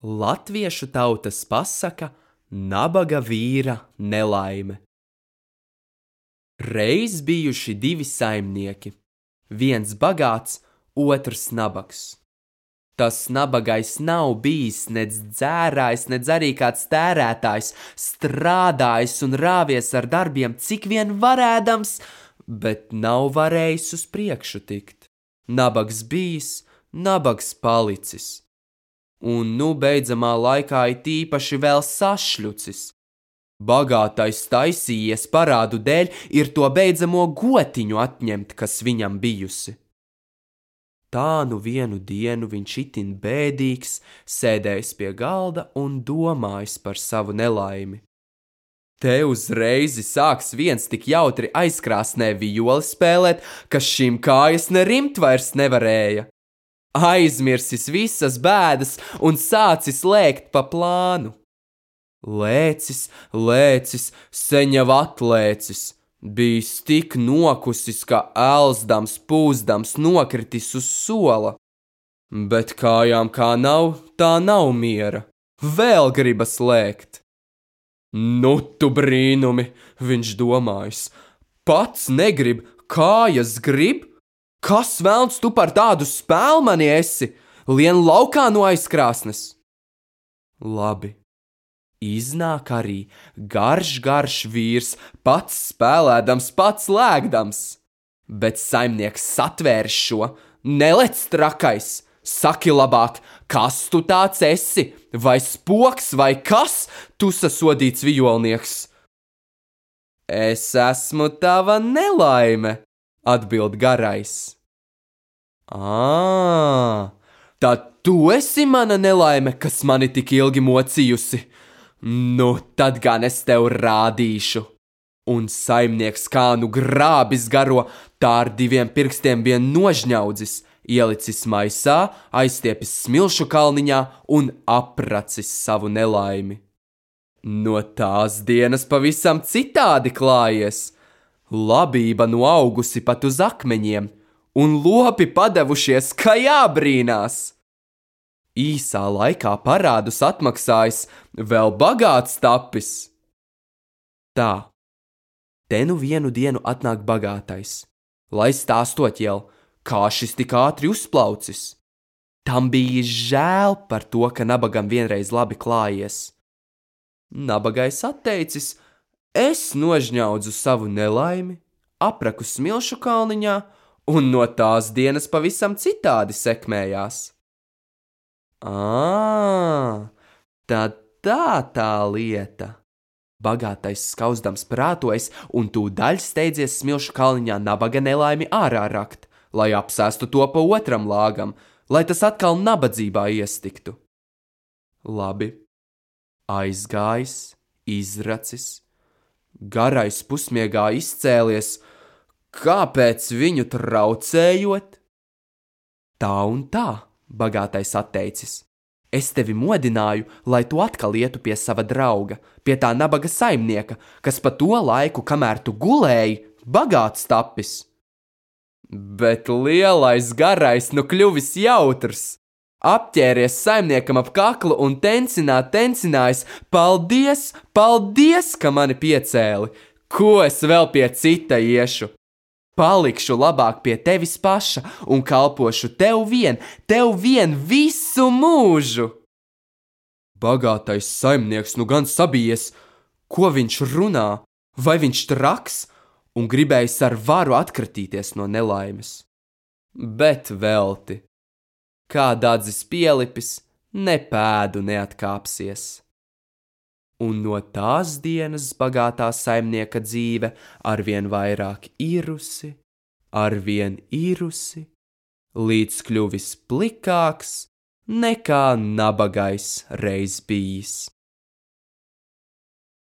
Latviešu tautas pasaka nabaga vīra nelaime. Reiz bijuši divi saimnieki, viens bagāts, otrs nabags. Tas nabagais nav bijis nec dzērājs, nec arī kāds tērētājs, strādājis un rāvies ar darbiem, cik vien varēdams, bet nav varējis uz priekšu tikt. Nabags bijis, nabags palicis. Un beidzamā laikā it īpaši vēl sašļucis. Bagātais taisījies parādu dēļ ir to beidzamo gotiņu atņemt, kas viņam bijusi. Tā vienu dienu viņš itin bēdīgs, sēdējis pie galda un domājis par savu nelaimi. Te uzreiz sāks viens tik jautri aizkrāsnē vijoli spēlēt, ka šīm kājas ne rimt vairs nevarēja. Aizmirsis visas bēdas un sācis lēkt pa plānu. Lēcis, sen jau atlēcis, bijis tik nokusis, ka elzdams, pūzdams nokritis uz sola. Bet kājām kā nav, tā nav miera, vēl gribas lēkt. Nu tu brīnumi, viņš domājis, pats negrib, kājas grib? Kas velns tu par tādu spēlmani esi? Lien laukā no aizkrāsnes. Labi. Iznāk arī garš vīrs, pats spēlēdams, pats lēgdams. Bet saimnieks satvērs šo, nelec trakais, saki labāk, kas tu tāds esi, vai spoks, vai kas, tu sasodīts vijolnieks? Es esmu tava nelaime, atbild garais. Tad tu esi mana nelaime, kas mani tik ilgi mocījusi. Nu, tad gan es tev rādīšu. Un saimnieks kā grābis garo, tā ar diviem pirkstiem vien nožņaudzis, ielicis maisā, aizstiepis smilšu kalniņā un apracis savu nelaimi. No tās dienas pavisam citādi klājies. Labība augusi pat uz akmeņiem, un lopi padevušies, ka jābrīnās. Īsā laikā parādus atmaksājis, vēl bagāts tapis. Tā, te vienu dienu atnāk bagātais, lai stāstot jau, kā šis tik ātri uzplaucis. Tam bija žēl par to, ka nabagam vienreiz labi klājies. Nabagais atteicis, es nožņaudzu savu nelaimi, apraku smilšu kalniņā, un no tās dienas pavisam citādi sekmējās. Tad tā lieta. Bagātais skauzdams prātojas un tūdaļ steidzies smilšu kalniņā nabaga nelaimi ārā rakt, lai apsēstu to pa otram lāgam, lai tas atkal nabadzībā iestiktu. Labi, aizgājis, izracis, garais pusmiegā izcēlies, kāpēc viņu traucējot? Tā un tā, bagātais atteicis. Es tevi modināju, lai tu atkal ietu pie sava drauga, pie tā nabaga saimnieka, kas pa to laiku, kamēr tu gulēji, bagāts tapis. Bet lielais garais kļuvis jautrs. Apķēries saimniekam ap kaklu un tencinājis, paldies, ka mani piecēli, ko es vēl pie cita iešu. Palikšu labāk pie tevis paša un kalpošu tev vien visu mūžu. Bagātais saimnieks gan sabijies, ko viņš runā, vai viņš traks, un gribējis ar varu atkritīties no nelaimes. Bet velti. Kā dadzis pielipis, ne pēdu neatkāpsies. Un no tās dienas bagātā saimnieka dzīve arvien vairāk irusi, līdz kļuvis plikāks nekā nabagais reiz bijis.